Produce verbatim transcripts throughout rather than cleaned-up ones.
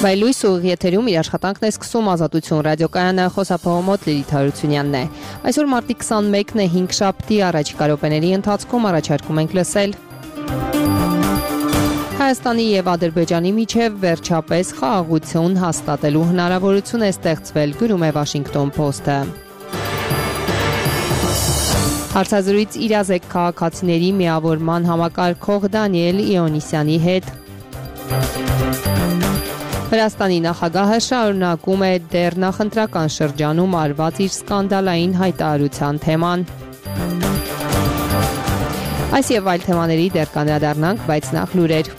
Վայլույս ուղիղ եթերում իր աշխատանքն է սկսում Ազատություն ռադիոկայանը, խոսափողոմոտ Լիլիթ Հարությունյանն է։ Այսօր մարտի քսանմեկն է, հինգշաբթի, առաջիկա րոպեների ընթացքում առաջարկում ենք լսել Հայաստանի եւ Ադրբեջանի միջև վերջապես խաղաղություն հաստատելու հնարավորություն է ստեղծվել, գրում է Washington Post-ը։ Հարցազրույց իրազեկ քաղաքացիների միավորման համակարգող Դանիել Իոնիսյանի հետ։ Վրաստանի նախագահը շարունակում է դեռ նախընտրական շրջանում արված իր սկանդալային հայտարարության թեման։ Այս եւ այլ թեմաների դեռ կանդրադառնանք, բայց նախ լուրեր։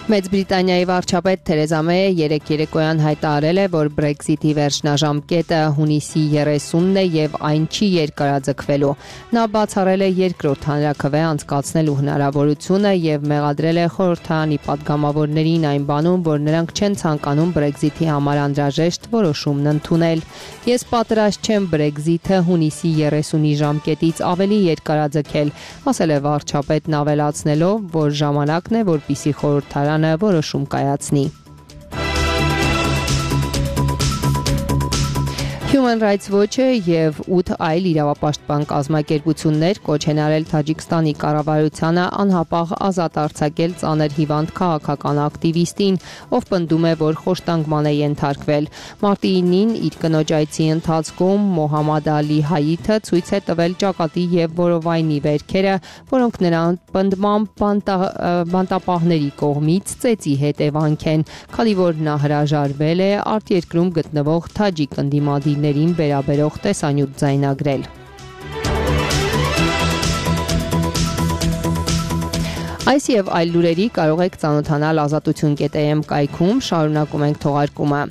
Մեծ Բրիտանիայի վարչապետ Թերեզա Մեյը երեկ երեկոյան հայտարարել է, որ Brexit-ի վերջնաժամկետը հունիսի երեսունն է եւ այն չի երկարաձգվելու։ Նա բացառել է երկրորդ հանրաքվե անցկացնելու հնարավորությունը եւ մեղադրել է խորհրդարանի падգամավորներին այն բանում, որ նրանք չեն ցանկանում Brexit-ի համար անհրաժեշտ որոշումն ընդունել։ Ես պատրաստ չեմ Brexit-ը հունիսի երեսունի ժամկետից ավելի երկարաձգել, ասել է վարչապետն, ավելացնելով, որ ժամանակն է, որպեսզի խորհրդարանը որոշում կայացնի։ Human Rights Watch-ը եւ ութ այլ իրավապաշտպան կազմակերպություններ կոչ են արել Թաջիկստանի կառավարությանը անհապաղ ազատ արձակել ծանր հիվանդ քաղաքական ակտիվիստին, ով պնդում է, որ խոշտանգման է ենթարկվել։ Մարտի ինին իր կնոջ այցի ընթացքում Մոհամմադ Ալի Հայիթը ցույց է տվել ճակատի եւ որովայնի վերքերը, որոնք նրան պնդմամբ բանտապահների կողմից ծեծի հետևանք են, քանի որ նա հրաժարվել է արտերկրում գտնվող թաջիկ ընդդիմադիրներին վերաբերող տեսանյութ ձայնագրել։ Այս եւ այլ լուրերի կարող եք ծանոթանալ ազատություն կետ էմ կայքում, շարունակում ենք թողարկումը։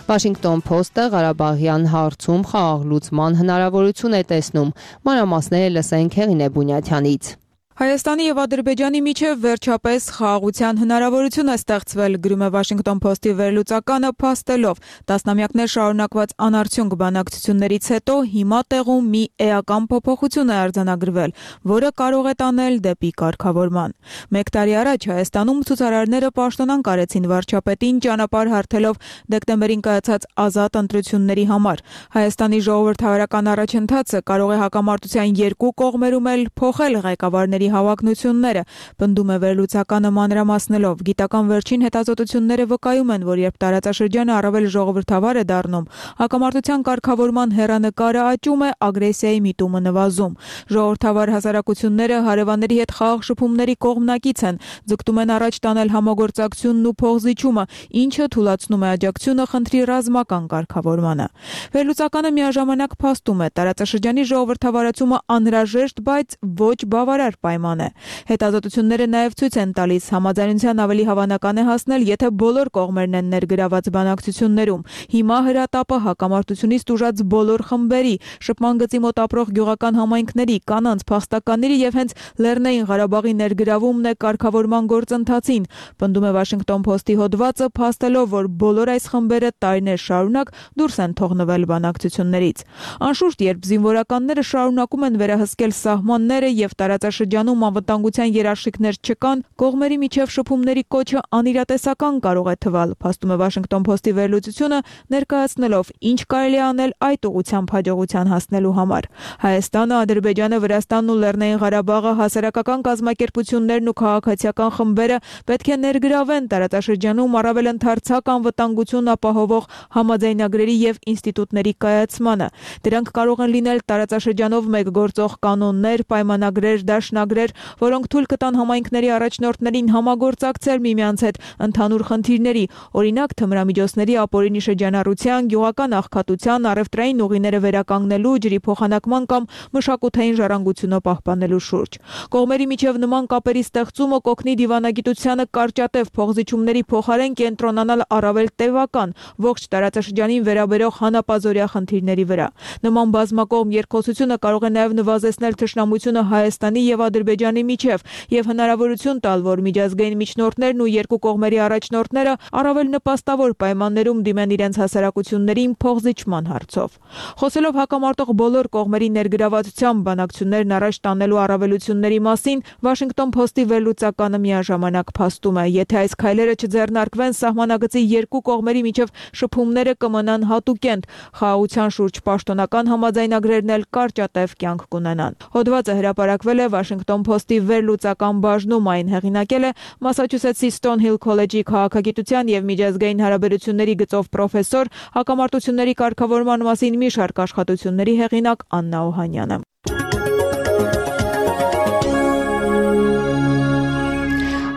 Washington Post-ը Ղարաբաղյան հարցում խաղաղ լուծման հնարավորություն է տեսնում։ Մանրամասները լսենք Հեղինե Բունյաթյանից։ Հայաստանի եւ Ադրբեջանի միջև վերջապես խաղաղության հնարավորություն է ստեղծվել, գրում է Washington Post-ի վերլուծականը, փաստելով տասնամյակներ շարունակված անարդյունք բանակցություններից հետո հիմա տեղում մի էական փոփոխություն է արձանագրվել, որը կարող է տանել դեպի կարգավորման։ Մեկ տարի առաջ Հայաստանում ցուցարարները պաշտոնանկ արեցին վարչապետին, ճանապարհ հարթելով դեկտեմբերին կայացած ազատ ընտրությունների համար։ Հայաստանի ժողովրդավարական առաջընթացը կարող է հակամարտության երկու կողմերում էլ փոխել ղեկավարների հավակնությունները, պնդում է վերլուծականը մանրամասնելով։ Գիտական վերջին հետազոտությունները վկայում են, որ երբ տարածաշրջանը առավել ժողովրդավար է դառնում, հակամարտության կարգավորման հեռանկարը աճում է, ագրեսիայի միտումը նվազում։ Ժողովրդավար հասարակությունները հարևանների հետ խաղաղ շփումների կողմնակից են, ձգտում են առաջ տանել համագործակցությունն ու փոխզիջումը, ինչը թույլատնում է աջակցությունը խնդրի ռազմական կարգավորմանը։ Վերլուծականը միաժամանակ փաստում է, տարածաշրջանի ժողովրդավարացումը անհրաժեշտ, բայց ոչ բավարար պայման է։ Հետազոտությունները նաև ցույց են տալիս, համաձայնության ավելի հավանական է հասնել, եթե բոլոր կողմերն են ներգրաված բանակցություններում։ Հիմա հրատապը հակամարտությունից տուժած բոլոր խմբերի, շփման գծի մոտ ապրող գյուղական համայնքների, կանանց, փախստականների եւ հենց Լեռնային Ղարաբաղի ներգրավումն է կարգավորման գործընթացին, պնդում է Washington Post-ի հոդվածը, փաստելով, որ բոլոր այս խմբերը տարիներ շարունակ դուրս են թողնվել բանակցություններից։ Անշուշտ, երբ զինվորականները շարունակում են վերահսկել սահմանները եւ տարածաշրջանում անվտանգության երաշխիքներ չկան, կողմերի միջև շփումների կոչը անիրատեսական կարող է թվալ, փաստում է Washington Post-ի վերլուծությունը, ներկայացնելով, ինչ կարելի է անել այդ ուղղությամբ հաջողության հասնելու համար։ Հայաստանը, Ադրբեջանը, Վրաստանն ու Լեռնային Ղարաբաղը, հասարակական կազմակերպություններն ու քաղաքացիական խմբերը պետք է ներգրավեն տարածաշրջանում առավել ընդարձակ անվտանգություն ապահովող համաձայնագրերի եւ ինստիտուտների կայացմանը։ Դրանք կարող են լինել տարածաշրջանով մեկ գործող կանոններ, պայմանագրեր, դաշնագրեր, որոնք թույլ կտան համայնքների առաջնորդներին համագործակցել միմյանց հետ ընդհանուր խնդիրների, օրինակ թմրամիջոցների ապօրինի շրջանառության, գյուղական աղքատության, առևտրային ուղիները վերականգնելու, ջրի փոխանակման կամ մշակութային ժառանգությունը պահպանելու շուրջ։ Կողմերի միջև նման կապերի ստեղծումը կօգնի դիվանագիտությանը կարճատև փոխզիջումների փոխարեն կենտրոնանալ առավել տևական, ողջ տարածաշրջանին վերաբերող հանապազօրյա խնդիրների վրա։ Նման բազմակողմ երկխոսությունը կարող է նաև նվազեցնել թշնամությունը Հայաստանի եւ Ադրբեջանի միջև եւ հնարավորություն տալ, որ միջազգային միջնորդներն ու երկու կողմերի առաջնորդները առավել նպաստավոր պայմաններում դիմեն իրենց հասարակություններին փոխզիջման հարցով։ Խոսելով հակամարտող բոլոր կողմերի ներգրավվածությամբ բանակցություններն առաջ տանելու առավելությունների մասին, Washington Post-ի վերլուծականը միաժամանակ փաստում է, եթե այս քայլերը չձեռնարկվեն, սահմանագծի երկու կողմերի միջև շփումները կմնան հատուկենտ, խաղաղության շուրջ պաշտոնական համաձայնագրերն էլ կարճատև կյանք կունենան։ Հոդվածը հրապարակվել է Washington Post-ի վերլուծական բաժնում, այն հեղինակել է Մասաչուսեթսի Stonehill College-ի քաղաքագիտության եւ միջազգային հարաբերությունների գծով պրոֆեսոր, հակամարտությունների կարգավորման մասին մի շարք աշխատությունների հեղինակ Աննա Օհանյանը։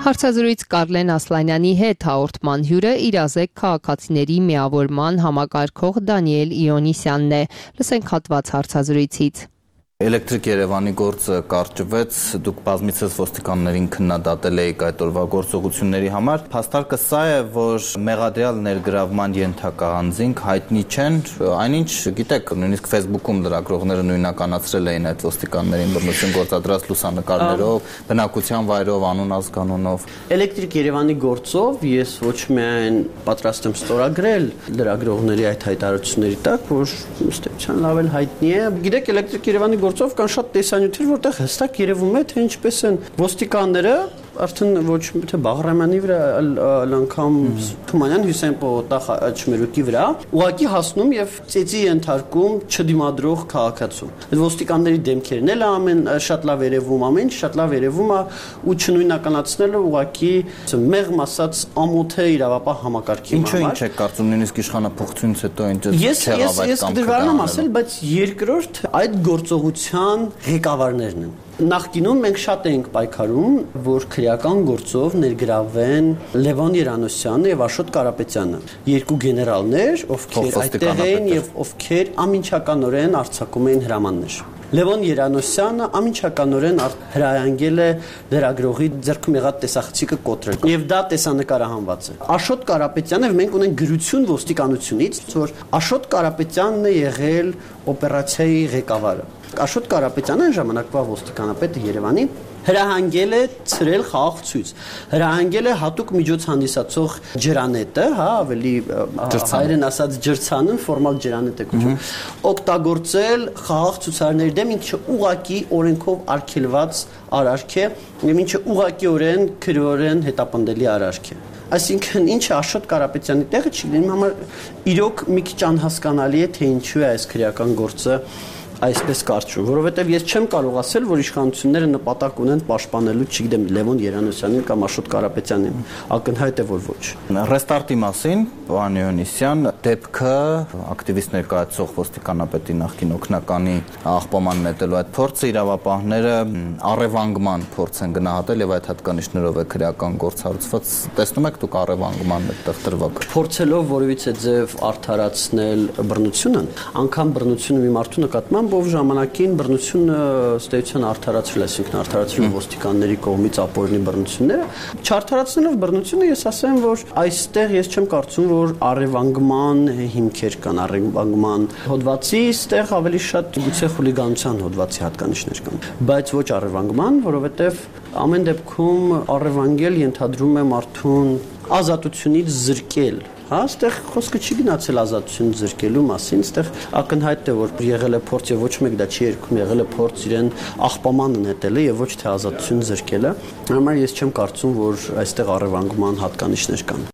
Հարցազրույց Կարլեն Ասլանյանի հետ հաղորդման հյուրը իրազեկ քաղաքացիների միավորման համակարգող Դանիել Իոնիսյանն է։ Լսենք հատված հարցազրույցից։ Էլեկտրիկ Երևանի գործը կարճվեց, դուք բազմիցս ոստիկաններին քննադատել եք այդ օրվա գործողությունների համար։ Փաստարկը սա է, որ մեղադրյալ ներգրավման ենթակա անձինք հայտնի չեն, այնինչ գիտեք, նույնիսկ Facebook-ում լրագրողները նույնականացրել էին այդ ոստիկաններին բռնություն գործադրած լուսանկարներով, բնակության վայրով, անուն ազգանունով։ Էլեկտրիկ Երևանի գործով ես ոչ միայն պատրաստ եմ ստորագրել լրագրողների այդ հայտարարությունների տակ, որ ըստ էության լավ էլ հայտնի է։ Գիտեք, Էլեկտրիկ Երևանի գործով կան շատ տեսանյութեր, որտեղ հստակ երևում է, թե ինչպես են ոստիկանները արդեն ոչ թե Բաղրամյանի վրա, այլ անգամ Թումանյան Հյուսեին Պողոտախ Չմերուկի վրա ուղղակի հասնում եւ ծեծի ենթարկում չդիմադրող քաղաքացու։ Այդ ոստիկանների դեմքերն էլ ամեն շատ լավ երևում, ամեն ինչ շատ լավ երևում է ու չնույնականացնելը ուղղակի մեղմ ասած ամոթ է իրավապահ համակարգի համար։ Ինչու ինչ է կարծում, նույնիսկ իշխանապողությունից հետո ինչ չեղավ այդ կամքը։ Ես դժվար եմ ասել, բայց երկրորդ այդ գործողության ղեկավարներն են։ Նախկինում մենք շատ էինք պայքարում, որ քրեական գործով ներգրավեն Լևոն Երանոսյանը եւ Աշոտ Կարապետյանը, երկու գեներալներ, ովքեր այդտեղ էին եւ ովքեր ամինչականորեն արձակում էին հրամաններ։ Լևոն Երանոսյանը ամինչականորեն հրահանգել է լրագրողի ձեռքում եղած տեսախցիկը կոտրել եւ դա տեսանկարահանված է։ Աշոտ Կարապետյանը մենք ունենք գրություն ոստիկանությունից, որ Աշոտ Կարապետյանն է եղել օպերացիայի ղեկավարը։ Աշոտ Կարապետյանը ժամանակվա ոստիկանապետը Երևանի հրահանգել է ցրել խաղաղ ցույց, հրահանգել է հատուկ միջոց հանդիսացող ջրանետը, հա, ավելի հայերեն ասած ջրցանը, ֆորմալ ջրանետ է կոչվում, օգտագործել խաղաղ ցուցարարների դեմ, ինչը ուղղակի օրենքով արգելված արարք է, եւ ինչը ուղղակիորեն քրեորեն հետապնդելի արարք է։ Այսինքն ինչ Աշոտ Կարապետյանի տեղը չի լինում, համար իրոք մի քիչ անհասկանալի է, թե ինչու է այս քրեական գործը այսպես կարճում, որովհետև ես չեմ կարող ասել, որ իշխանությունները նպատակ ունեն պաշտպանելու, չգիտեմ, Լևոն Երանոսյանին կամ Աշոտ Կարապետյանին, ակնհայտ է, որ ոչ։ Ռեստարտի մասին, պարոն Իոնիսյան, դեպքը ակտիվիստ ներկայացող ոստիկանապետի նախկին օգնականի աղբաման նետելու այդ փորձը իրավապահները առևանգման փորձ են գնահատել եւ այդ հատկանիշներով է քրեական գործ հարուցված։ Տեսնում եք դուք առևանգման այդտեղ տրվակ։ Փորձելով որևիցե ձև արդարացնել բռնությունը, անգամ բռնությունը մի մարդու նկատմամբ ով ժամանակին բռնությունը ստեյցիան արդարացրել, այսինքն արդարացրել ոստիկանների կողմից ապօրինի բռնությունները, չարդարացնելով բռնությունը ես ասեմ, որ այստեղ ես չեմ կարծում, որ առևանգման հիմքեր կան, առևանգման հոդվածի ստեղ ավելի շատ գուցե խուլիգանության հոդվածի հատկանիշներ կան, բայց ոչ առևանգման, որովհետև ամեն դեպքում առևանգել ենթադրում է մարդուն ազատությունից զրկել։ Հա, այստեղ խոսքը չի գնացել ազատություն զրկելու մասին, այստեղ ակնհայտ է, որ եղել է փորձ եւ ոչ մեկ դա չի երգում, եղել է փորձ իրեն աղբամանը նետելը եւ ոչ թե ազատություն զրկելը։ Համար ես չեմ կարծում, որ այստեղ առևանգման հատկանիշներ կան։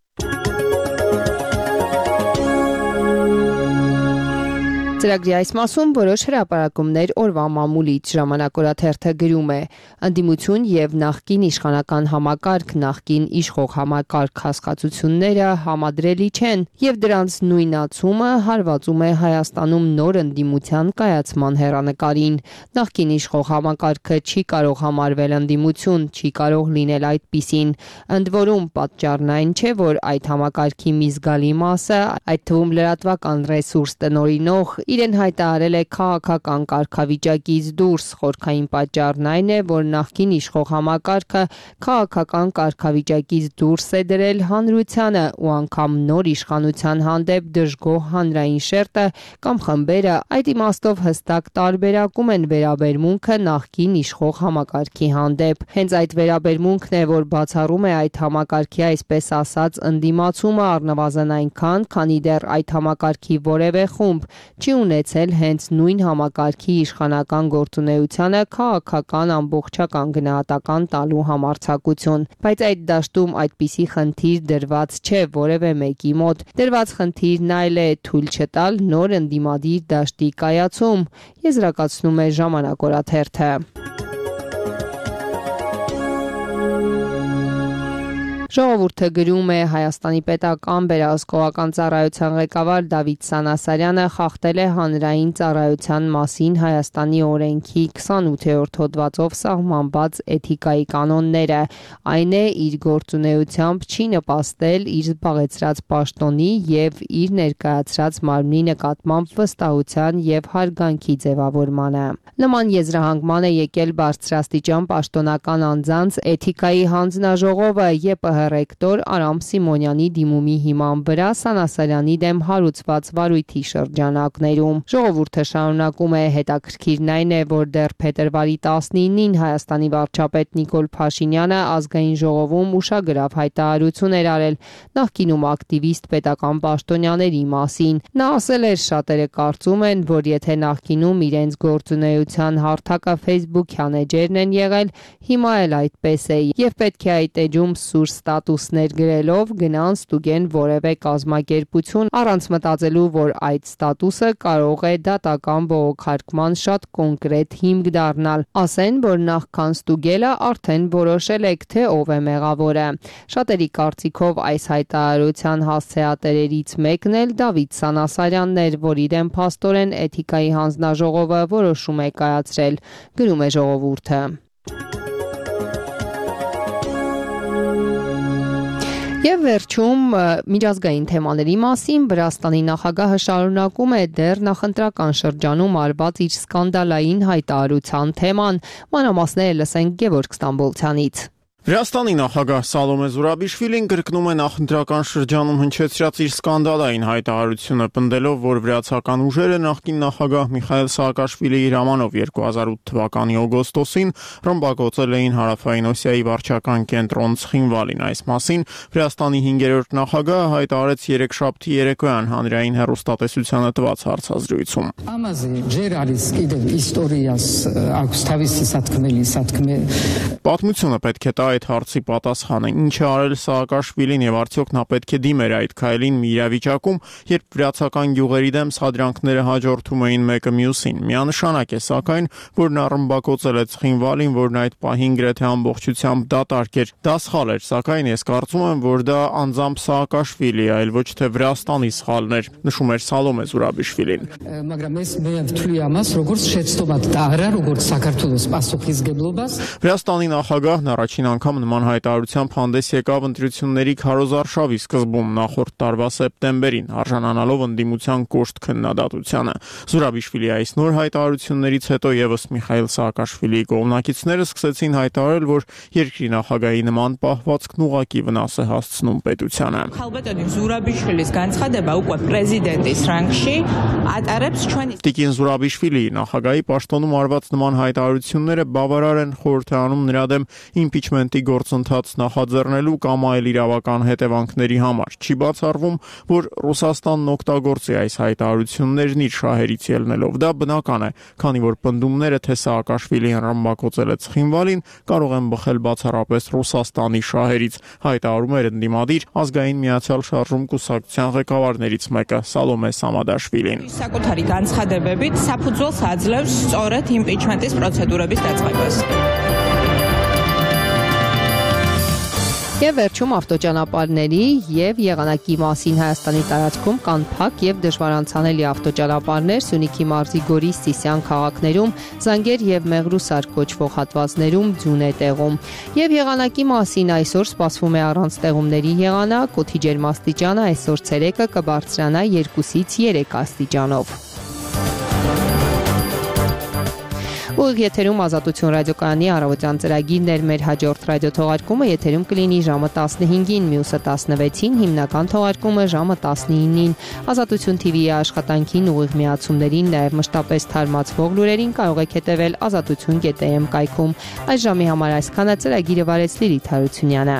Ծրագրի այս մասում որոշ հրապարակումներ օրվա մամուլից ժամանակօրաթերթը գրում է. ընդդիմություն եւ նախկին իշխանական համակարգ, նախկին իշխող համակարգ հասկացությունները համադրելի չեն եւ դրանց նույնացումը հարվածում է Հայաստանում նոր ընդդիմության կայացման հեռանկարին։ Նախկին իշխող համակարգը չի կարող համարվել ընդդիմություն, չի կարող լինել այդպիսին։ Ընդ որում պատճառն այն չէ, որ այդ համակարգի մի զգալի մասը, այդ թվում լրատվական ռեսուրս տնօրինող Իրեն հայտարարել է քաղաքական կարգավիճակից դուրս։ Խորհրդային պատճառն այն է, որ նախկին իշխող համակարգը քաղաքական կարգավիճակից դուրս է դրել հանրությանը ու անգամ նոր իշխանության հանդեպ դժգոհ հանրային շերտը կամ խմբերը այդ իմաստով հստակ տարբերակում են վերաբերմունքը նախկին իշխող համակարգի հանդեպ։ Հենց այդ վերաբերմունքն է, որ բացառում է այդ համակարգի այսպես ասած ընդդիմացումը առնվազն այնքան, քանի դեռ այդ համակարգի որևէ խումբ չի ունեցել հենց նույն համակարգի իշխանական գործունեությանը քաղաքական ամբողջական գնահատական տալու համարձակություն։ Բայց այդ դաշտում այդպիսի խնդիր դրված չէ որևէ մեկի մոտ։ Դրված խնդիրն այլ է թույլ չտալ նոր ընդդիմադիր դաշտի կայացում, եզրակացնում է Ժամանակ օրաթերթը։ Ժողովուրդը գրում է Հայաստանի պետական վերահսկողական ծառայության ղեկավար Դավիթ Սանասարյանը խախտել է հանրային ծառայության մասին Հայաստանի օրենքի քսանութերորդ հոդվածով սահմանված էթիկայի կանոնները, այն է իր գործունեությամբ չի նպաստել իր զբաղեցրած պաշտոնի եւ իր ներկայացրած մարմնի նկատմամբ վստահության եւ հարգանքի ձևավորմանը։ Նման եզրահանգման է եկել բարձրաստիճան պաշտոնական անձանց էթիկայի հանձնաժողովը ԵՊՀ ռեկտոր Արամ Սիմոնյանի դիմումի հիման վրա Սանասարյանի դեմ հարուցված վարույթի շրջանակներում։ Ժողովուրդը շարունակում է հետաքրքիրն այն է, որ դեռ փետրվարի տասնինին Հայաստանի վարչապետ Նիկոլ Փաշինյանը ազգային ժողովում ուշագրավ հայտարարություն էր արել նախկինում ակտիվիստ պետական պաշտոնյաների մասին։ Նա ասել էր՝ շատերը կարծում են, որ եթե նախկինում իրենց գործունեության հարթակը Facebook-յան էջերն են եղել, հիմա էլ այդպես է եւ պետք է այդ էջում սուր ստատուսներ գրելով գնան ստուգեն որևէ կազմակերպություն առանց մտածելու, որ այդ ստատուսը կարող է դատական բողոքարկման շատ կոնկրետ հիմք դառնալ։ Ասեն, որ նախքան ստուգելը արդեն որոշել եք, թե ով է մեղավորը։ Շատերի կարծիքով այս հայտարարության հասցեատերերից մեկն էլ Դավիթ Սանասարյանն էր, որի դեմ փաստորեն էթիկայի հանձնաժողովը որոշում է կայացրել, գրում է Ժողովուրդը։ Եվ վերջում միջազգային թեմաների մասին Վրաստանի նախագահը շարունակում է դեռ նախընտրական շրջանում արված իր սկանդալային հայտարարության թեման։ Մանրամասները լսենք Գևորգ Ստամբոլցյանից։ Վրաստանի նախագահ Սալոմե Զուրաբիշվիլին կրկնում է նախընտրական շրջանում հնչեցրած իր սկանդալային հայտարարությունը, պնդելով, որ վրացական ուժերը նախկին նախագահ Միխայել Սաակաշվիլիի հրամանով երկու հազար ութ թվականի օգոստոսին ռմբակոծել էին Հարավային Օսիայի վարչական կենտրոն Ցխինվալին։ Այս մասին Վրաստանի հինգերորդ նախագահը հայտարարեց երեքշաբթի երեկոյան հանրային հեռուստատեսությանը տված հարցազրույցում։ Պատմությունը պետք է տա այդ հարցի պատասխանը, ինչ է արել Սաակաշվիլին եւ արդյոք նա պետք է դիմեր այդ քայլին մի իրավիճակում, երբ վրացական գյուղերի դեմ սադրանքները հաջորդում էին մեկը մյուսին։ Միանշանակ է սակայն, որ նա ռմբակոծել է Ցխինվալին, որն այդ պահին գրեթե ամբողջությամբ դատարկ էր։ Դա սխալ էր, սակայն ես կարծում եմ, որ դա անձամբ Սաակաշվիլի է, այլ ոչ թե Վրաստանի սխալն էր, նշում էր Սալոմե Զուրաբիշվիլին։ Վրաստանի նախագահն առաջին անգամ նման հայտարարությամբ հանդես եկավ ընտրությունների քարոզարշավի սկզբում նախորդ տարվա սեպտեմբերին, արժանանալով ընդդիմության կոշտ քննադատությանը։ Զուրաբիշվիլի այս նոր հայտարարություններից հետո եւս Միխայել Սաակաշվիլիի կողմնակիցները սկսեցին հայտարարել, որ երկրի նախագահի նման պահվածքն ուղղակի վնաս է հասցնում պետությանը։ Տիկին Զուրաբիշվիլիի նախագահի պաշտոնում արված նման հայտարարությունները բավարար են խորհրդանում նրա դեմ իմպիչմենտի գործընթաց նախաձեռնելու կամ այլ իրավական հետևանքների համար։ Չի բացառվում, որ Ռուսաստանն օգտագործի այս հայտարարություններն իր շահերից ելնելով։ Դա բնական է, քանի որ պնդումները, թե Սաակաշվիլին ռմբակոծել է Ցխինվալին, կարող են բխել բացառապես Ռուսաստանի շահերից, հայտարարում էր ընդդիմադիր ազգային միացյալ շարժում կուսակցության ղեկավարներից մեկը Սալոմե Սամադաշվիլին։ Საკუთარი განცხადებებით საფუძველს აძლევს სწორედ იმპიჩმენტის პროცედურების დაწყებას։ Եվ վերջում ավտոճանապարհների եւ եղանակի մասին Հայաստանի տարածքում կան փակ եւ դժվար անցանելի ավտոճանապարհներ Սյունիքի մարզի Գորիս Սիսիան քաղաքներում, Զանգեր եւ Մեղրուսար կոչվող հատվածներում ձյուն է տեղում։ Եվ եղանակի մասին այսօր սպասվում է առանց տեղումների եղանակ, օդի ջերմաստիճանը այսօր ցերեկը կբարձրանա երկուսից երեք աստիճանով։ Ուղիղ եթերում Ազատություն ռադիոկայանի առավոտյան ծրագիրն էր, մեր հաջորդ ռադիոթողարկումը եթերում կլինի ժամը տասնհինգին, մյուսը տասնվեցին, հիմնական թողարկումը ժամը տասնինին։ Ազատություն թի վիի աշխատանքին ուղիղ միացումներին, նաև մշտապես թարմացվող լուրերին կարող եք հետևել ազատություն կետ է էմ կայքում։ Այս ժամի համար այսքանը, ծրագիրը վարեց Լիլիթ Հարությունյանը։